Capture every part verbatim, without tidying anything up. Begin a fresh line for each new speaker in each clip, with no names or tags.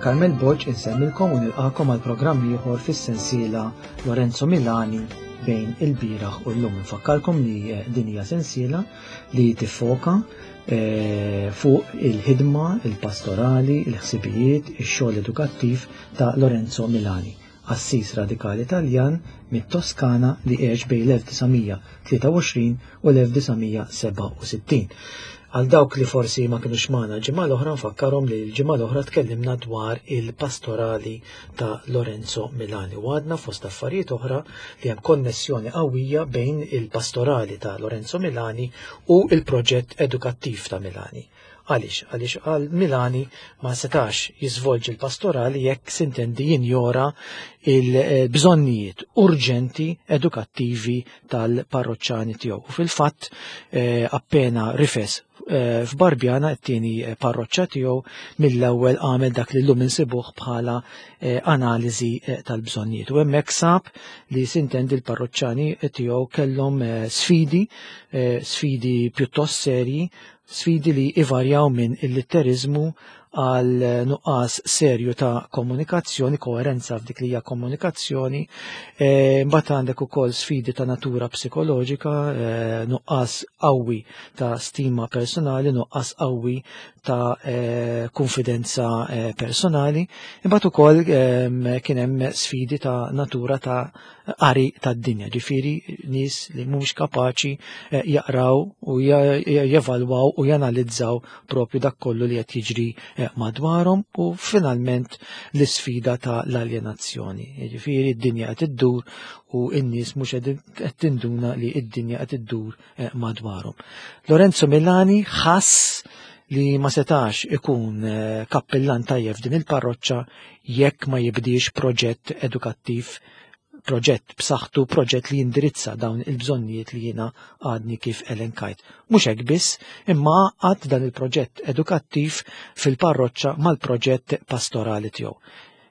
Carmel Borg insellmilkom u nilqakom għal programm ieħor fis-sensiela Lorenzo Milani bejn il-bieraħ u llum. Nfakkarkom li eh, din hija sensiela li tiffoka eh, fuq il-ħidma, il-pastorali, il-ħsibijiet, ix-xogħol edukattiv ta' Lorenzo Milani, qassis radikali Taljan mit-Toskana li għex bejn l-elf disa' mija tlieta u għoxrin u l-elf disa' mija sebgħa u sittin. Għal dawk li forsi ma kinux magħna l-ġimgħa l-oħra, nfakkarhom li l-ġimgħa l-oħra tkellimna dwar il-pastorali ta' Lorenzo Milani u għadna fost affarijiet oħra li hemm konnessjoni qawwija bejn il-pastorali ta' Lorenzo Milani u il-proġett edukattiv ta' Milani. Għaliex? Għaliex għal Milani ma setax jiżvolġi l-pastorali jekk sintendi jinjora il-bżonnijiet urġenti edukattivi tal-parroċċani tiegħu. U fil-fatt, eh, appena rifes, eh, f'Barbjana, t-tieni parroċċa tiegħu, mill-ewwel għamel dak li llum insibuh bħala, eh, analiżi, eh, tal-bżonnijiet. U hemmhekk sab li sintendi l-parroċċani tiegħu kellhom, eh, sfidi, eh, sfidi pjuttost serji, sfidi li ivarjaw minn il-litterizmu għal nuqqas serju ta' komunikazzjoni, koerenza f'dik li hija komunikazzjoni, e, mbagħad għandek ukoll sfidi ta' natura psikoloġika, e, nuqqas qawwi ta' stima personali, nuqqas qawwi ta', e, konfidenza, e, personali, imbagħad ukoll, em, kien hemm sfidi ta' natura ta' qari tad-dinja, ġifieri nies li mhumiex kapaċi, eh, jaqraw u ja-, ja-, jevalwaw u janalizzaw propju dak kollu li qed jiġri, eh, madwarhom, u finalment l-isfida ta' l-aljenazzjoni. Jiġifieri d-dinja qed iddur u n-nies mhux qed, qed tinduna li d-dinja qed iddur, eh, madwarhom. Lorenzo Milani ħass li ma setax ikun, eh, kappillan tajjeb f'din il-parroċċa jekk ma jibdiex proġett edukattiv, proġett b'saħħtu, proġett li jindirizza dawn il-bżonnijiet li jiena għadni kif elenkajt. Mhux hekk biss, imma għad dan il-proġett edukattiv fil-parroċċa mal-proġett pastorali tiegħu.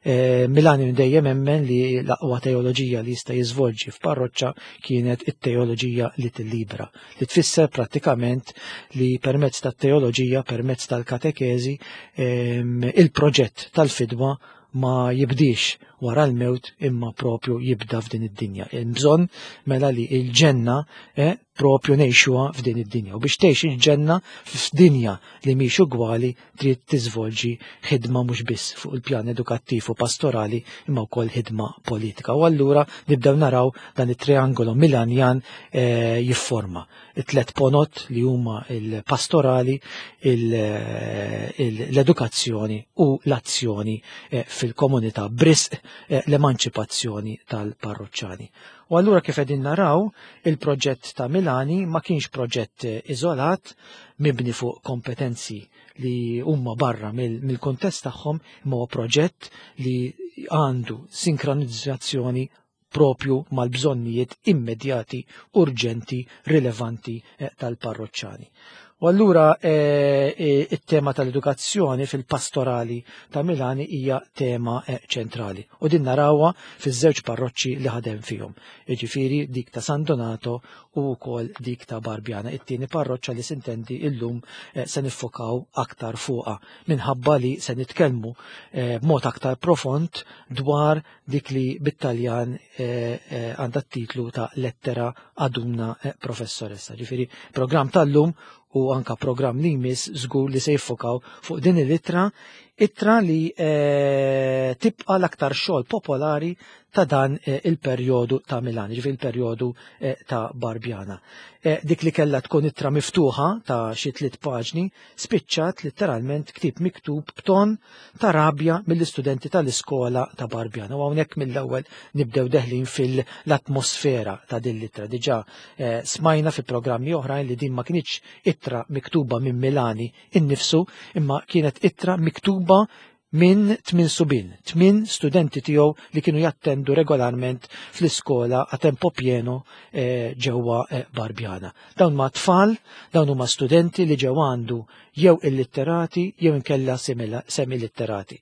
Eh, Milani dejjem emmen li l-aqwa teoloġija li jista' jiżvolġi f'parroċċa kienet it-teoloġija li tillibra, li tfisser prattikament li permezz tat-teoloġija, permezz tal-katekeżi, ehm, il-proġett tal-fidwa ma jibdix wara l-mewt imma propju jibda f'din id-dinja. Hemm bżonn mela li l-ġenna, eh, propju ngħixuha f'din id-dinja. U biex tgħix il-ġenna f'dinja li mhix ugwali trid tiżvolġi ħidma mhux biss fuq il-pjan edukattiv u pastorali imma wkoll ħidma politika. U allura nibdew naraw dan it-triangolo Milanjan, eh, jifforma it-tlet ponot li huma il-pastorali, il-, eh, il-, l-edukazzjoni u l-azzjoni, eh, fil-komunità brisq, eh, l-emanċipazzjoni tal-parroċċani. U allura kif qegħdin naraw, il-proġett ta' Milani ma kienx proġett iżolat, mibni fuq kompetenzi li huma barra mill-, mill-kuntest tagħhom, imma huwa proġett li għandu sinkronizzazzjoni propju mal-bżonnijiet immedjati, urġenti, rilevanti, eh, tal-parroċċani. U allura, eh, eh, it-tema tal-edukazzjoni fil-pastorali ta' Milani hija tema, eh, ċentrali. U din narawha fiż-żewġ parroċċi li ħadem fihom. Jiġifieri dik ta' San Donato u wkoll dik ta' Barbjana. It-tieni parroċċa li sintendi illum, eh, se niffokaw aktar fuqha minħabba li se nitkellmu, eh, b'mod aktar profond dwar dik li bit-Taljan, eh, eh, għandha t-titlu ta' Lettera ad una, eh, professoressa. Ġifieri programm tal-lum u anka programm li jmiss żgur li se jiffokaw fuq din il-ittra, ittra li, eh, tibqa' l-aktar xogħol popolari ta' dan, eh, il-perjodu ta' Milan, ġifieri il-perjodu, eh, ta' Barbjana. Eh, dik li kellha tkun ittra miftuħa ta' xi tliet paġni, spiċċat letteralment ktieb miktub b'ton ta' rabja mill-istudenti tal-iskola ta' Barbjana. U hawnhekk mill-ewwel nibdew deħlin fil-atmosfera ta' din l-ittra. Diġà, eh, smajna fi programmi oħrajn li din ma kinitx ittra miktuba minn Milani innifsu, imma kienet ittra miktuba minn tmien subien, tmien studenti tiegħu li kienu jattendu regolarment fl-iskola a tempo pieno, eh, ġewwa, eh, Barbjana. Dawn ma tfal, dawn huma studenti li ġew għandu jew illitterati jew inkella simila-, semilitterati.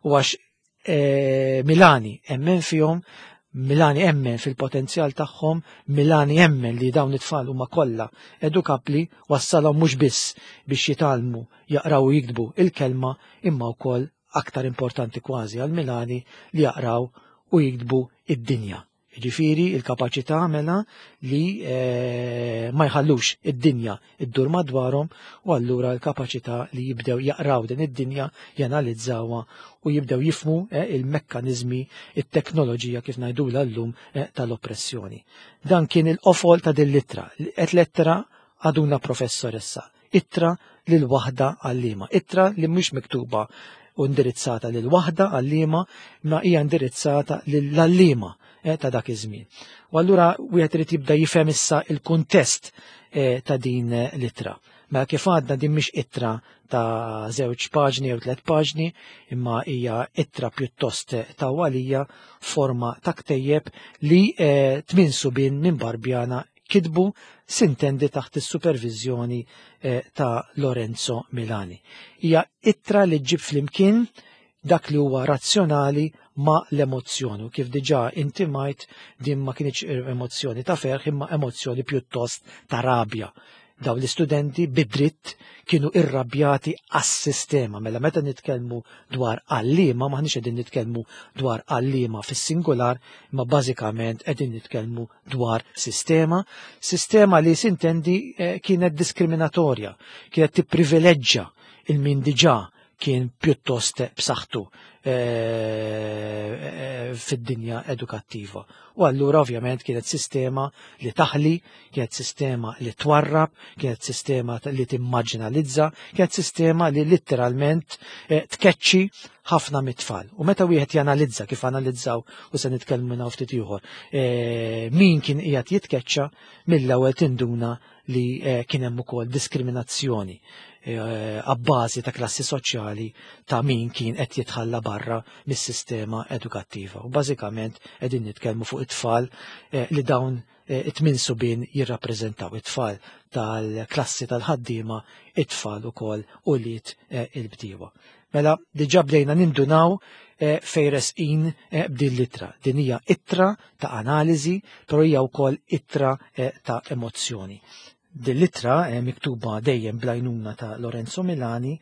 U għax, eh, Milani emmen fihom, Milani emmen fil-potenzjal tagħhom, Milani emmen li dawn it-tfal huma kollha edukabbli, wassalhom mhux biss biex jitgħallmu jaqraw u jiktbu il-kelma imma wkoll aktar importanti kważi għal Milani, li jaqraw u jiktbu id-dinja. Ġifieri il-kapaċità mela li eh, ma jħallux id-dinja iddur madwarhom u allura l-kapaċità li jibdew jaqraw din id-dinja, janalizzawha u jibdew jifhmu eh, il-mekkaniżmi, it-teknoloġija kif ngħidulha llum eh, tal-oppressjoni. Dan kien il-qofol ta' din l-ittra. Qed lettra għaduna professoressa. Ittra lil waħda għallima. Ittra li mhux miktuba u indirizzata lil waħda għallima, ma hija indirizzata lill-għallima eh, ta' dak iż-żmien. U allura wieħed irid jibda jifhem issa il-kuntest eh, ta' din eh, l-ittra. Mela kif għadna din mhix ittra ta' żewġ paġni jew tliet paġni, imma hija ittra pjuttost tawwalija forma ta' ktejjeb li tmien subien minn Barbjana kitbu sintendi taħt is-supervizjoni ta' Lorenzo Milani. Hija ittra li ġġib flimkien dak li huwa razzjonali ma l-emozzjoni. U kif diġà intimajt din ma kienx emozzjoni ta' ferħ imma emozzjoni pjuttost ta' rabja. Daw l-istudenti bidritt kienu irrabjati għas-sistema. Mela meta nitkellmu dwar għallima, maħniex qegħdin nitkellmu dwar għallima fis-singular, imma bażikament qegħdin nitkellmu dwar sistema. Sistema li sintendi eh, kienet diskriminatorja, kienet tipprivileġġa il-min diġà kien pjuttost b'saħħtu eh, eh, fid-dinja edukattiva. U allura ovvjament kienet sistema li taħli, kienet sistema li twarrab, kienet sistema li timmarġinalizza, kienet sistema li litteralment eh, tkeċċi ħafna mit-tfal. U meta wieħed janalizza kif analizzaw u se nitkellmu minn ftit ieħor, min kien qiegħed jitkeċċa mill-ewwel tinduna li kien hemm ukoll diskriminazzjoni għabbażi ta' klassi soċjali ta' min kien qed jitħalla barra mis-sistema edukattiva. U bażikament qegħdin nitkellmu fuq it-tfal li dawn it-tmien subien jirrappreżentaw, it-tfal tal-klassi tal-ħaddiema, it-tfal ukoll ulied il-bdiewa. Mela diġà bdejna nindunaw fejn resqin b'din l-ittra. Din hija ittra ta' analiżi, però hija wkoll ittra ta' emozzjoni. Din l-ittra miktuba dejjem bl-għajnuna ta' Lorenzo Milani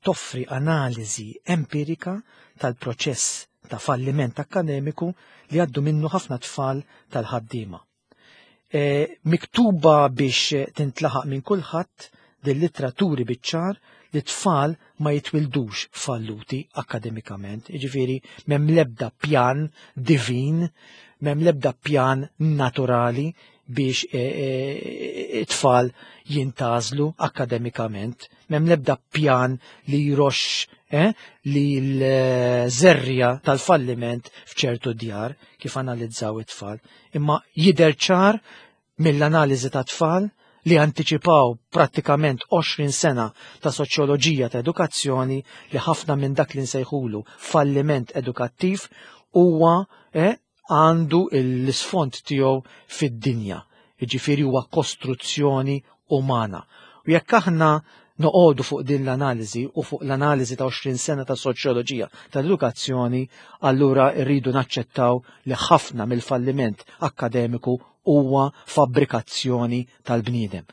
toffri analiżi empirika tal-proċess ta' falliment akkademiku li għaddu minnu ħafna tfal tal-ħaddiema. E, miktuba biex tintlaħaq minn kulħadd, din l-ittra turi biċ-ċar li tfal ma jitwildux falluti akkademikament, jiġifieri m'hemm l-ebda pjan divin, m'hemm l-ebda pjan naturali biex it-tfal jintgħażlu akkademikament, m'hemm l-ebda pjan li jroxx eh, li l-żerrija tal-falliment f'ċertu djar kif analizzaw it-tfal. Imma jidher ċar mill-analiżi ta' tfal li anticipaw prattikament għoxrin sena ta' soċjoloġija ta' edukazzjoni li ħafna minn dak li nsejħulu falliment edukattiv huwa eh, għandu l-isfond tiegħu fid-dinja, jiġifieri huwa kostruzzjoni umana. U jekk aħna noqogħdu fuq din l-analiżi u fuq l-analiżi ta' għoxrin sena ta' soċjoloġija tal-edukazzjoni, allura rridu naċċettaw li ħafna mill-falliment akkademiku huwa fabbrikazzjoni tal-bniedem.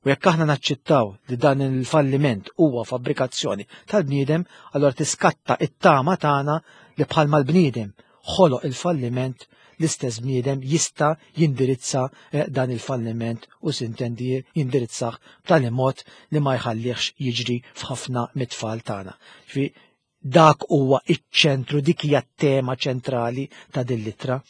U jekk aħna naċċettaw li dan il-falliment huwa fabbrikazzjoni tal-bniedem, allura tiskatta it-tama tagħna li bħalma l-bniedem ħoloq il-falliment, l-istess bniedem jista' jindirizza dan il-falliment u sintendi jindirizzah b'tali mod li ma jħallihx jiġri f'ħafna mit-tfal tagħna. Ġifieri dak huwa iċ-ċentru, dik hija t-tema ċentrali ta' din l-ittra,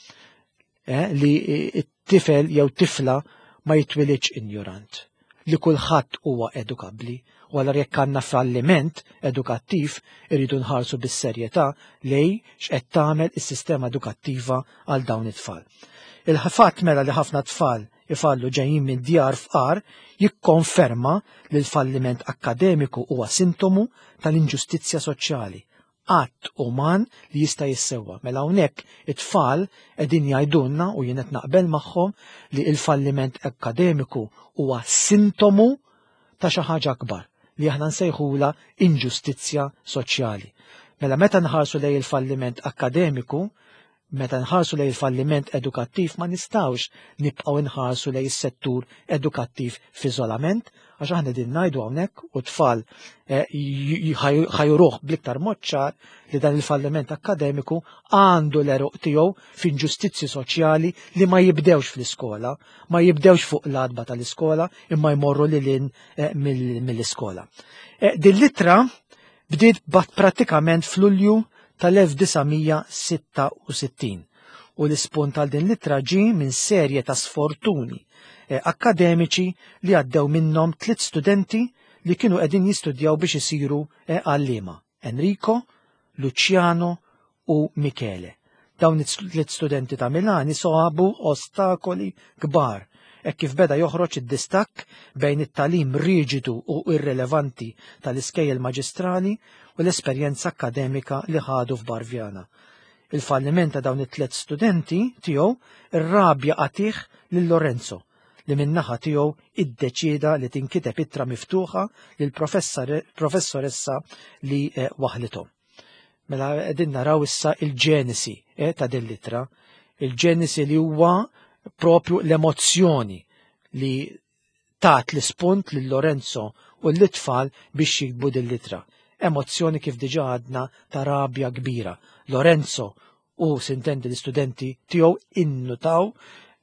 eh, li t-tifel jew tifla ma jitwilidx injorant, li kulħadd huwa edukabbli. U allura jekk għandna falliment edukattiv irridu nħarsu bis-serjetà lej x'qed tagħmel is-sistema edukattiva għal dawn it-tfal. Il-fatt mela li ħafna tfal ifallu ġejjin minn djar fqar jikkonferma li l-falliment akkademiku huwa sintomu tal-inġustizzja soċjali, att uman li jista' jissewwa. Mela hawnhekk it-tfal qegħdin jgħidulna u jien qed naqbel magħhom li l-falliment akkademiku huwa sintomu ta' xi ħaġa akbar li aħna nsejħula inġustizzja soċjali. Mela meta nħarsu lejn il-falliment akkademiku, meta nħarsu lejn il-falliment edukattiv, ma nistgħux nibqgħu nħarsu lejn is-settur edukattiv f'iżolament, Għax aħna din ngħidu hawnhekk u tfal ħa juruh bl-iktar mod ċar li dan il-falliment akkademiku għandu l-għeruq tiegħu f'inġustizzji soċjali li ma jibdewx fl-iskola, ma jibdewx fuq l-għatba tal-iskola, imma jmorru lil hinn mill-iskola. Din l-ittra bdiet prattikament f'Lulju tal-elf disa' mija sitta u sittin u l-ispunt għal din l-ittra ġie minn serje ta' sfortuni akkademiċi li għaddew minnhom tliet studenti li kienu qegħdin jistudjaw biex isiru għalliema: Enrico, Luciano u Michele. Dawn it-tliet studenti ta' Milani soħabu ostakoli kbar hekk kif beda joħroġ id-distakk bejn it-tagħlim riġidu u irrelevanti tal-iskejjel maġistrali u l-esperjenza akkademika li ħadu f'Barbiana. Il-falliment ta' dawn it-tliet studenti tiegħu irrabja qatih lil Lorenzo, li min-naħa tiegħu iddeċieda li tinkiteb ittra miftuħa lil professoressa li waħlithom. Mela qegħdin naraw issa il-ġenesi ta' din l-ittra, il-ġenesi li huwa propju l-emozzjoni li tat l-ispunt lil Lorenzo u l-itfal biex jiktbu din l-ittra. Emozzjoni kif diġà għadna ta' rabja kbira. Lorenzo u sintendi l-istudenti tiegħu innutaw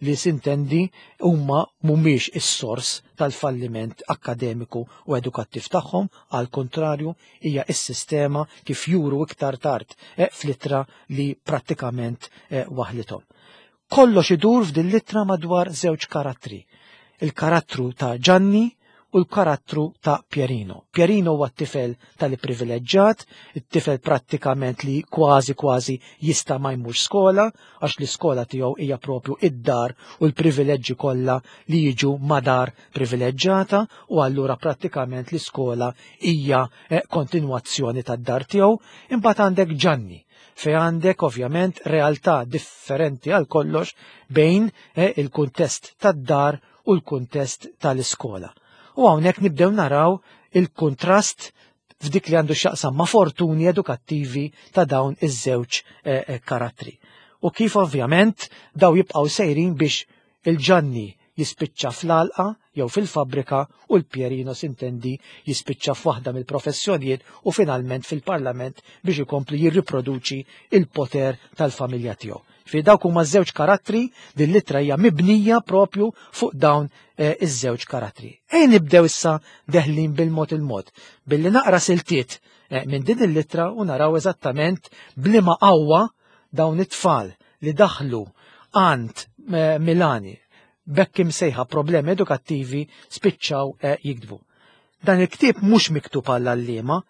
li sintendi huma mhumiex is-sors tal-falliment akkademiku u edukattiv tagħhom, għal kontrarju hija s-sistema kif juru iktar tard, eh, fl-ittra li prattikament, eh, waħlithom. Kollox idur f'din l-ittra madwar żewġ karattri, il-karattru ta' Gianni u l-karattru ta' Pierino. Pierino huwa t-tifel tal-privileġġat, it-tifel prattikament li kważi kważi jista' ma jmurx skola, għax l-iskola tiegħu hija propju id-dar u l-privileġġi kollha li jiġu ma' dar privileġġata, u allura prattikament l-iskola hija, eh, kontinwazzjoni tad-dar tiegħu. Imbagħad għandek Gianni, fej għandek ovvjament realtà differenti għal kollox bejn, eh, il-kuntest tad-dar u l-kuntest tal-iskola. U hawnhekk nibdew naraw il-kontrast f'dik li għandu x'jaqsam ma' fortuni edukattivi ta' dawn iż-żewġ, eh, eh, karattri. U kif ovvjament daw jibqgħu sejrin biex il-Gianni jispiċċa fl-għalqa jew fil-fabbrika u l-Pierino sintendi jispiċċa f'waħda mill-professjonijiet u finalment fil-parlament biex ikompli jirriproduċi il-poter tal-familja tiegħu. Fi dawk huma żewġ karattri, din l-ittra hija mibnija propju fuq dawn, eh, iż-żewġ karattri. Ejn nibdew issa deħlin bil-mod il-mod, billi naqra siltiet, eh, minn din l-ittra u naraw eżattament bliema qawwa dawn it-tfal li daħlu għand, eh, Milani bekk imsejħa problemi edukattivi spiċċaw, eh, jiktbu. Dan il-ktieb mhux miktub għall-għalliema,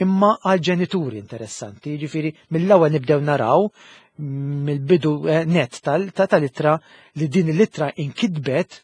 imma għal-ġenituri interessanti, jiġifieri mill-ewwel nibdew naraw mill-bidu, eh, net tal-, ta' tal-ittra li din l-ittra inkitbet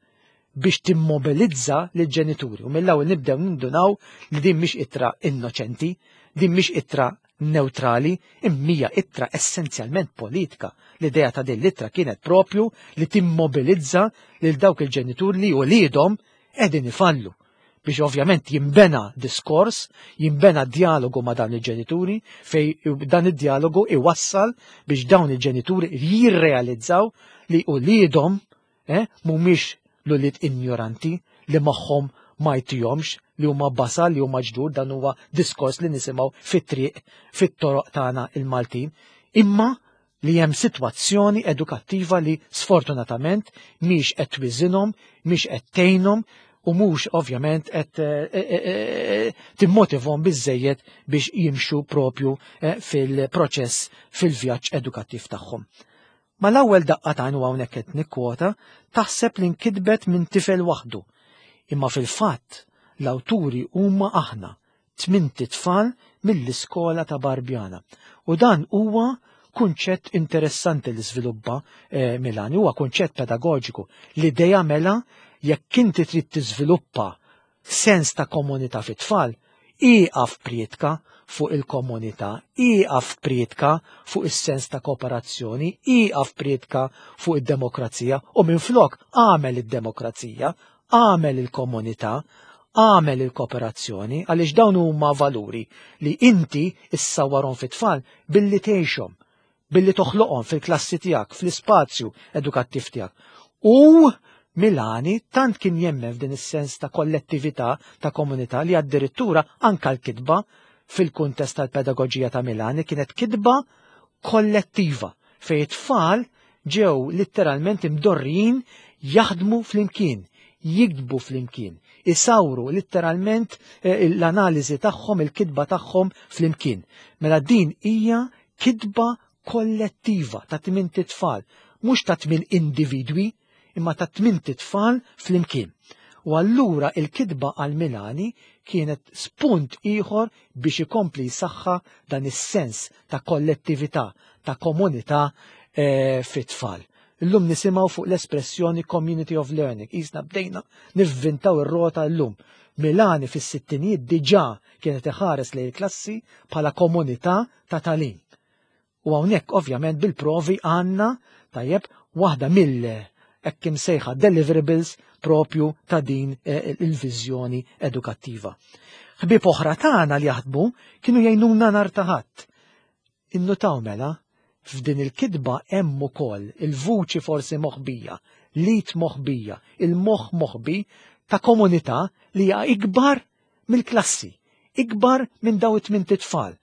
biex timmobilizza lill-ġenituri. U mill-ewwel nibdew nindunaw li din mhix ittra innoċenti, din mhix ittra neutrali, imma hija ittra essenzjalment politika. L-idea ta' din l-ittra kienet propju li timmobilizza lil dawk il-ġenituri li wliedhom qegħdin ifallu, biex ovvjament jimbena diskors, jimbena dialogu ma' dawn il-ġenituri, fej dan id-dialogu iwassal biex dawn il-ġenituri jirrealizzaw li uliedhom, eh, mhumiex l-ulied ignoranti li magħhom ma jtihomx, li huma basal, li huma ġdur, dan huwa diskors li nisimgħu fit-triq, fit-toroq tagħna il-Maltin, imma li hemm sitwazzjoni edukattiva li sfortunatament mhix qed twiżinhom, mhix qed tgħinhom u mhux ovvjament qed, eh, eh, eh, timmotivhom biżżejjed biex jimxu propju, eh, fil-proċess, fil-vjaġġ edukattiv tagħhom. Ma l-ewwel daqqa ta' għajn hawnhekk qed nikkwota, taħseb li nkitbet minn tifel waħdu. Imma fil-fatt l-awturi huma aħna, tmint tfal mill-iskola ta' Barbiana. U dan huwa kunċett interessanti li żviluppa, eh, Milani, huwa kunċett pedagogiku. L-idea mela jekk inti trid tiżviluppa sens ta' komunità fit-tfal, ieqaf prietka fuq il-komunità, ieqaf prietka fuq is-sens ta' kooperazzjoni, ieqaf prietka fuq id-demokrazija u minflok għamel id-demokrazija, għamel il-komunità, għamel il-kooperazzjoni, għaliex dawn huma valuri li inti issawwarhom fit-tfal billi tgħixhom, billi toħloqhom fil-klassi tiegħek, fl-ispazju edukattiv tiegħek. U Milani tant kien jemmen f'din is-sens ta' kollettività, ta' komunità, li addirittura anka l-kitba fil-kuntest tal-pedagoġija ta' Milani kienet kitba kollettiva fejn it-tfal ġew letteralment imdorrijin jaħdmu flimkien, jiktbu flimkien, isawru letteralment l-analiżi tagħhom, il-kitba tagħhom flimkien. Mela din hija kitba kollettiva ta' tmien tfal, mhux ta' tmien individwi, imma ta' tmien tfal flimkien. U allura il-kitba għal Milani kienet spunt ieħor biex ikompli jsaħħa dan is-sens ta' kollettività, ta' komunità e, fit-tfal. Illum nisimgħu fuq l-espressjoni community of learning. Qisna bdejna nivvintaw ir-rota llum. Milani fis-sittinijiet diġà kienet iħares lejn il-klassi bħala komunità ta' tagħlim. U hawnhekk ovvjament bil-provi għandna tajjeb waħda mill hekk imsejħa deliverables propju ta' din il-viżjoni edukattiva. Ħbieb oħra tagħna li jaħdmu kienu jgħinuna nhar ta' Ħadd. Innutaw mela f'din il-kitba hemm ukoll il-vuċi forsi moħbija, lit moħbija, il-moħħ moħbi ta' komunità li hija ikbar mill-klassi, ikbar minn daw it-tmien tfal.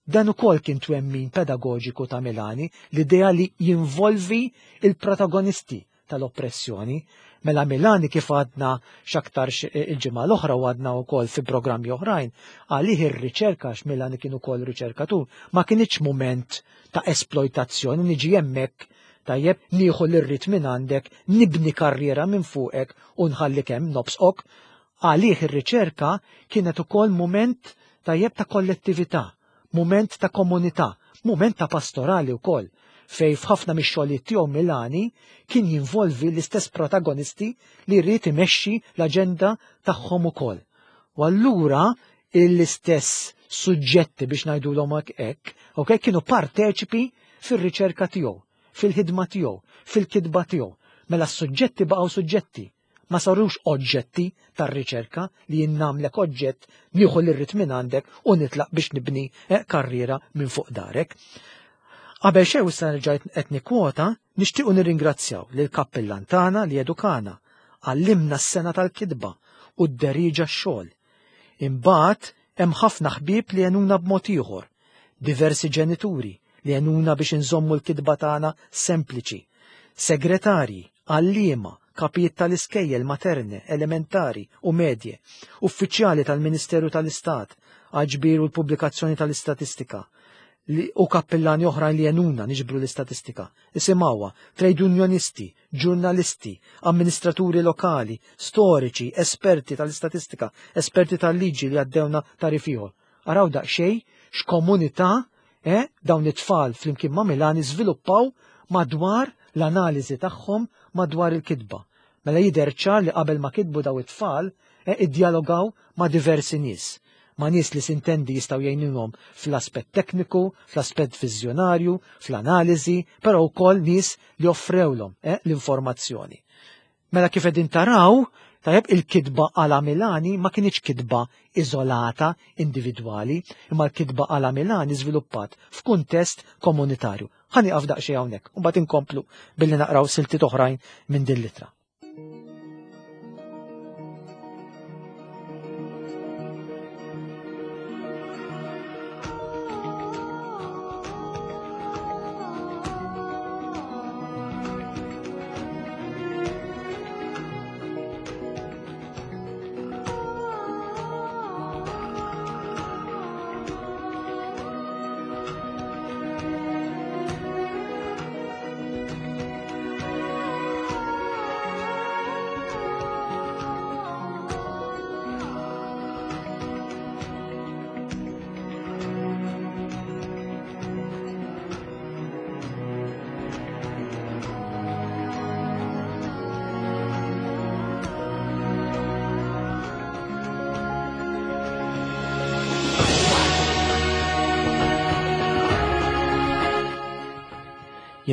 Dan ukoll kien twemmin pedagoġiku ta' Milani, l-idea li jinvolvi il-protagonisti tal-oppressjoni. Mela Milani kif għadna x'aktarx il-ġimgħa l-oħra u għadna wkoll fi programmi oħrajn, għalih ir-riċerka, għax Milani kien ukoll riċerkatur, ma kienx mument ta' esploitazzjoni, niġi hemmhekk tajjeb, nieħu l-irrid minn għandek, nibni karriera minn fuqek u nħallik hemm nobsqok. Għalih ir-riċerka kienet ukoll mument tajjeb ta' kollettività, mument ta' komunità, mument ta' pastorali wkoll, fej f'ħafna mix-xogħlijiet tiegħu Milani kien jinvolvi l-istess protagonisti li jrid imexxi l-aġenda tagħhom ukoll. U allura l-istess suġġetti biex ngħidulhom hekk, okay, kienu parteċipi fir-riċerka tiegħu, fil-ħidma tiegħu, fil-kitba tiegħu. Mela s-suġġetti baqgħu suġġetti, ma sarux oġġetti tar-riċerka li jinnamlek oġġett, nieħu l-irrid minn għandek u nitlaq biex nibni karriera minn fuq darek. Qabel xejn issa nerġa' qed nikkwota, nixtiequ nirringrazzjaw lil kappillan tagħna li edukana, għallimna s-sena tal-kitba u d-deriġa x-xogħol. Imbagħad hemm ħafna ħbieb li għenuna b'mod ieħor, diversi ġenituri li għenuna biex inżommu l-kitba tagħna sempliċi, segretarji, għalliema, kapijiet tal-iskejjel materne, elementari u medje, uffiċjali tal-Ministeru tal-Istat, għal-ġbir u l-pubblikazzjoni tal-istatistika, u kappillani oħrajn li għenuna niġbru l-istatistika. Isimgħuha, trade unionisti, ġurnalisti, amministraturi lokali, storiċi, esperti tal-istatistika, esperti tal-liġi li għaddewna tarif ieħor. Araw daqsxejn x'komunità eh, dawn it-tfal flimkien ma' Milani żviluppaw madwar l-analiżi tagħhom madwar il-kitba. Mela jidher ċar li qabel ma kitbu daw it-tfal eh, iddialogaw ma' diversi nies, ma' nies li sintendi jistgħu jgħinulhom fl-aspett tekniku, fl-aspett viżjonarju, fl-analiżi, però wkoll nies li offrewlhom eh, l-informazzjoni. Mela kif qegħdin taraw, tajjeb il-kitba għala Milani ma kienx kitba iżolata, individwali, imma l-kitba għala Milani żviluppat f'kuntest komunitarju. Ħa nieqaf daqsxejn hawnhekk, u mbagħad inkomplu billi naqraw siltiet oħrajn minn din l-ittra.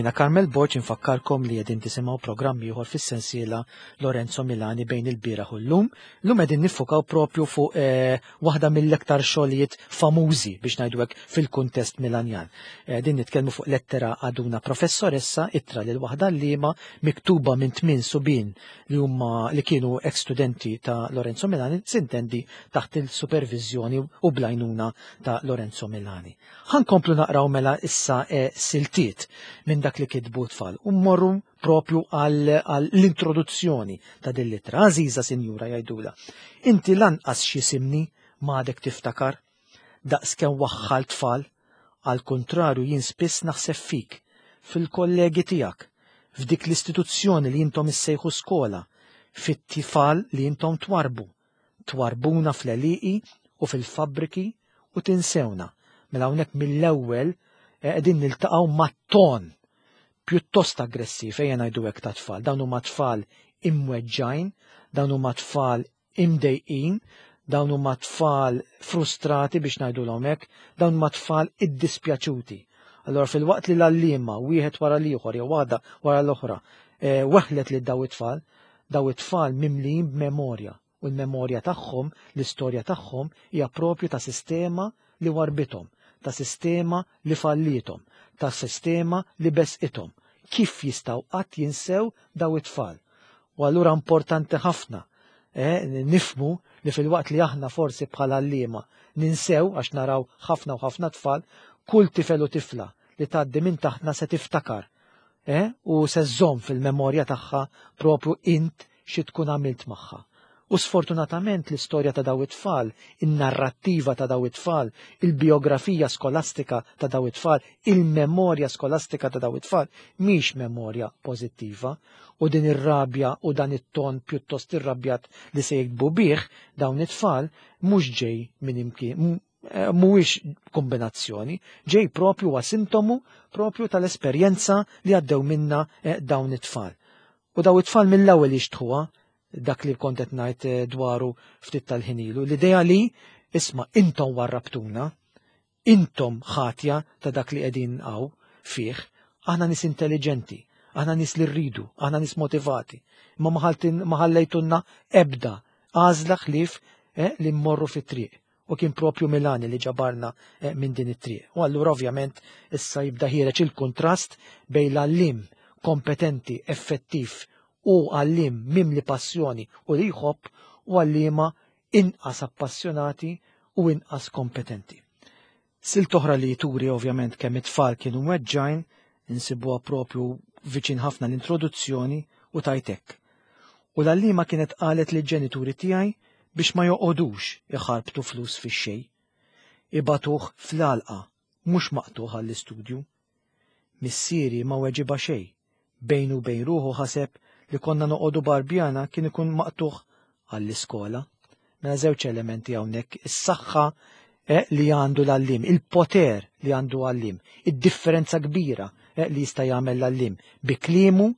Jiena Carmel Borg infakkarkom li qegħdin tisimgħu programm ieħor fis-sensiela Lorenzo Milani bejn il-bieraħ u llum. Llum qegħdin niffukaw propju fuq eh, waħda mill-iktar xogħlijiet famużi biex ngħidu hekk fil-kuntest Milanjan. Qegħdin nitkellmu fuq lettera ad una professoressa ittra lil waħda għalliema miktuba minn tmien subien li huma li kienu ex-studenti ta' Lorenzo Milani, sintendi taħt il-supervizjoni u bl-għajnuna ta' Lorenzo Milani. Ħa nkomplu naqraw mela issa eh, siltiet minn dak li kitbu tfal u mmorru propju għall-introduzzjoni ta' din l-ittra. Għażiża sinjura jgħidula, inti lanqas x'jisimni m'għadek tiftakar, daqs kemm waħħal tfal, għal kontrarju jien spiss naħseb fik, fil-kollegi tiegħek, f'dik l-istituzzjoni li intom issejħu skola, fit-tifal li intom twarbu, twarbuna fl-għelieqi u fil-fabbriki u tinsewna. Mela hawnhekk mill-ewwel qegħdin niltaqgħu mat-ton pjuttost aggressiv, ejja ngħidu hekk ta' tfal. Dawn huma tfal imweġġajn, dawn huma tfal imdejqin, dawn huma tfal frustrati biex ngħidulhom hekk, dawn huma tfal iddispjaċuti. Allora fil-waqt li l-għalliema wieħed wara l-ieħor jew waħda wara l-oħra eh, weħlet lil daw it-tfal, daw it-tfal mimlijin b'memorja u l-memorja tagħhom, l-istorja tagħhom hija propju ta' sistema li warbithom, ta' sistema li fallithom, ta' sistema li besqithom. Kif jistgħu qatt jinsew daw it-tfal? U allura importanti ħafna eh, nifmu li fil-waqt li aħna forsi bħala għalliema ninsew għax naraw ħafna u ħafna tfal, kull tifel u tifla li tgħaddi minn taħtna se tiftakar eh, u se żżomm fil-memorja tagħha propju int xi tkun għamilt magħha. U sfortunatament l-istorja ta' daw it-tfal, in-narrattiva ta' daw it-tfal, il-biografija skolastika ta' daw it-tfal, il-memorja skolastika ta' daw it-tfal, mhix memorja pożittiva. U din ir-rabja u dan it-ton pjuttost irrabjat li se jiktbu bih dawn it-tfal mhux ġej minn imkien, m-, mhuwiex kombinazzjoni, ġej propju huwa sintomu propju tal-esperjenza li għaddew minna, eh, dawn it-tfal. U daw it-tfal mill-ewwel jixtħuha dak li kont qed ngħid, eh, dwaru ftit tal-ħinilu, l-idea li isma' intom warrabtuna, intom ħatja ta' dak li qegħdin hawn fih, aħna nies intelligenti, aħna nies li rridu, aħna nies motivati, imma ma ħaltin-, ma ħallejtunna ebda għażla ħlief, eh, li mmorru fit-triq. U kien propju Milani li ġabarna, eh, minn din it-triq. U allura ovvjament issa jibda ħiereġ il-kontrast bejn l-għallim kompetenti, effettiv u għallim mimli passjoni u li jħobb u għallima inqas appassjonati u inqas kompetenti. Silt oħra li turi ovvjament kemm it-tfal kienu mweġġajn, insibuha propju viċin ħafna l-introduzzjoni u tajtek. U l-għallima kienet qalet li ġenituri tiegħi biex ma joqogħdux iħarbtu flus fix-xejn. Ibatuh fl-għalqa, mhux maqtuħ għall-istudju. Missieri ma weġiba xejn, bejnu bejn ruħu ħaseb li konna noqogħdu Barbjana kien ikun maqtuħ għall-iskola. Mela żewġ elementi hawnhekk, is-saħħa, eh, li għandu l-għallim, il-poter li għandu għallim, id-differenza kbira, eh, li jista' jagħmel l-għallim bi kliemu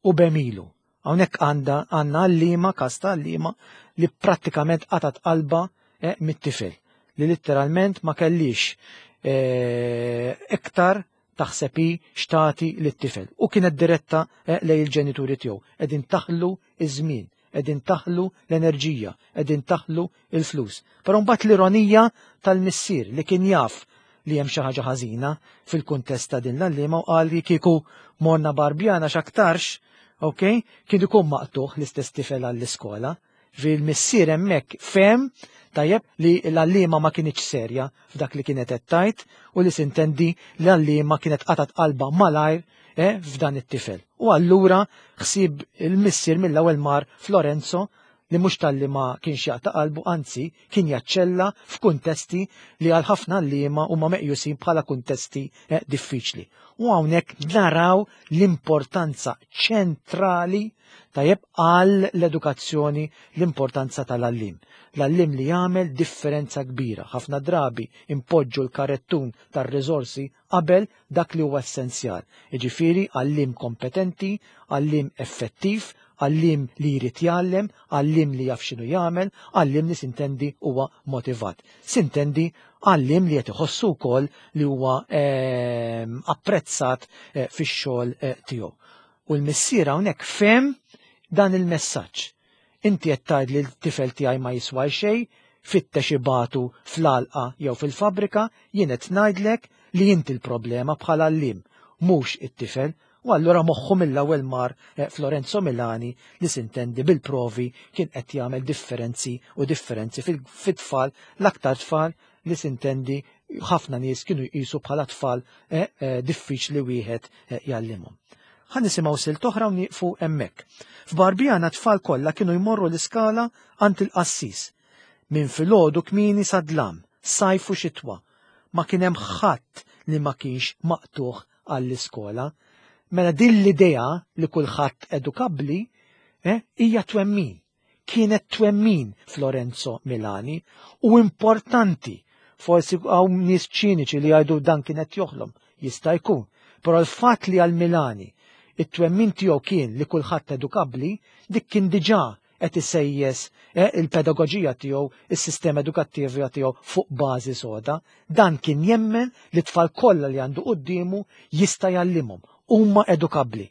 u b'għemilu. Hawnhekk għandha għandna għallima, kasta għallima li prattikament qatat qalba, eh, mit-tifel, li letteralment ma kellix, eh, iktar taħsebi xtati lit-tifel. U kienet diretta, eh, lej il-ġenituri tiegħu. Qegħdin taħlu iż-żmien, qegħdin taħlu l-enerġija, qegħdin taħlu il-flus. Però mbagħad l-ironija tal-missier li kien jaf li hemm xi ħaġa ħażina fil-kuntest ta' din l-għalliema u qal li kieku morna Barbjana x'aktarx, ok, kien ikun maqtuħ l-istess tifel għall-iskola. Fil-missier hemmhekk fehem tajjeb li l-għalliema ma kinitx serja f'dak li kienet qed tgħid u li sintendi l-għalliema kienet qatat qalba malajr, eh, f'dan it-tifel. U allura ħsieb il-missier mill-ewwel mar Florenzo li mhux talli ma kienx jaqta' qalbu, anzi kien jaċċella f'kuntesti li għal ħafna għalliema huma meqjusin bħala kuntesti, eh, diffiċli. U hawnhekk naraw l-importanza ċentrali tajjeb għal l-edukazzjoni, l-importanza tal-għallim. L-għallim li jagħmel differenza kbira. Ħafna drabi impoġġu l-karettun tar-riżorsi qabel dak li huwa essenzjal. Jiġifieri għallim kompetenti, għallim effettiv, għallim li jrid jgħallem, għallim li jaf x'inhu jagħmel, għallim li sintendi huwa motivat. Sintendi Għalliem li qed iħossu wkoll li huwa ehm, apprezzat eh, fix-xogħol eh, tiegħu. U l-missier hawnhekk fehem dan il-messaġġ. Inti qed tgħid li l-tifel tiegħi ma jiswa xejn, fittex ibatu fl-għalqa jew fil-fabrika, jien qed ngħidlek li inti l-problema bħala għalliem, mhux it-tifel. U allura moħħu mill-ewwel mar eh, Florenzo Milani li sintendi bil-provi kien qed jagħmel differenzi u differenzi fit-tfal, l-aktar tfal li sintendi ħafna nies kienu jqisu bħala tfal eh, eh, diffiċli wieħed jgħallimhom. Ħa nisimgħu silta oħra u nieqfu hemmhekk. F'Barbijana tfal kollha kienu jmorru l-iskala għand il-qassis. Minn filgħodu kmieni sa dlam, sajf u xitwa. Ma kien hemm ħadd li ma kienx maqtugħ għall-iskola. Mela din l-idea li kulħadd edukabbli eh, hija twemmin. Kienet twemmin Florenzo Milani u importanti. Forsi hawn nies ċiniċi li jgħidu dan kienet joħlom, jista' jkun. Però l-fatt li għal Milani it-twemmin tiegħu kien li kulħadd edukabbli, dik kien diġà qed isejjes eh, il-pedagoġija tiegħu, is-sistema edukattiva tiegħu fuq bażi soda. Dan kien jemmen li tfal kollha li għandu quddiemu jista' jgħallimhom, huma edukabbli.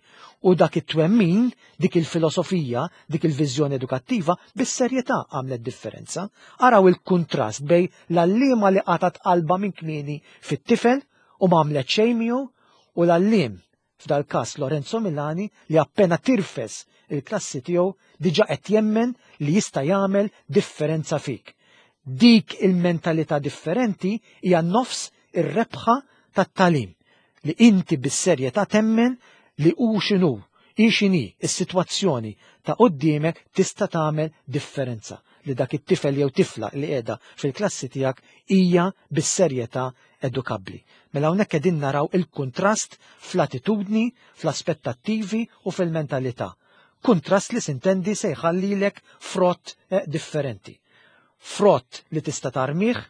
U dak it-twemmin, dik il-filosofija, dik il-viżjoni edukattiva, bis-serjetà għamlet differenza. Araw il-kontrast bejn l-għalliema li qatat qalba minn kmieni fit-tifel u ma għamlet xejn miegħu u l-għalliem f'dal każ Lorenzo Milani li appena tirfes il-klassi tiegħu diġà qed jemmen li jista' jagħmel differenza fik. Dik il-mentalità differenti hija nofs ir-rebħa tat-tagħlim li inti bis-serjetà temmen li hu x'inhu, hi x'inhi is-sitwazzjoni ta' quddiemek tista' tagħmel differenza li dak it-tifel jew tifla li qiegħda fil-klassi tiegħek hija bis-serjetà edukabbli. Mela hawnhekk qegħdin naraw il-kuntrast fl-attitudni, fl-aspettattivi u fil-mentalità. Kuntrast li sintendi se jħallilek frott eh, differenti. Frott li tista' tarmih,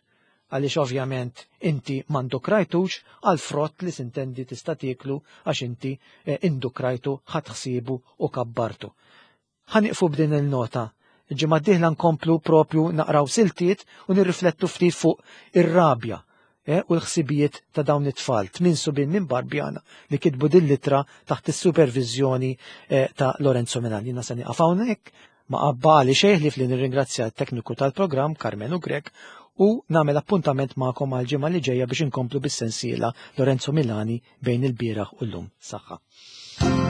għaliex ovvjament inti m'indukrajtux, għal frott li sintendi tista' tieklu għax inti eh, indukrajtu, ħadt ħsiebu u kabbartu. Ħa nieqfu b'din il-nota. Il-ġimgħa d-dieħla nkomplu propju naqraw siltiet u nirriflettu ftit fuq ir-rabja eh, u l-ħsibijiet ta' dawn it-tfal, tmien subien minn Barbjana li kitbu din l-ittra taħt is-supervizjoni eh, ta' Lorenzo Milani. Jiena se nieqaf hawnhekk, ma baqagħli xejn ħlief li nirringrazzja t-tekniku tal-programm Carmenu Grek u nagħmel appuntament magħkom għal ġimgħa li ġejja biex inkomplu bis-sensiela Lorenzo Milani bejn il-bieraħ u llum. Saħħa.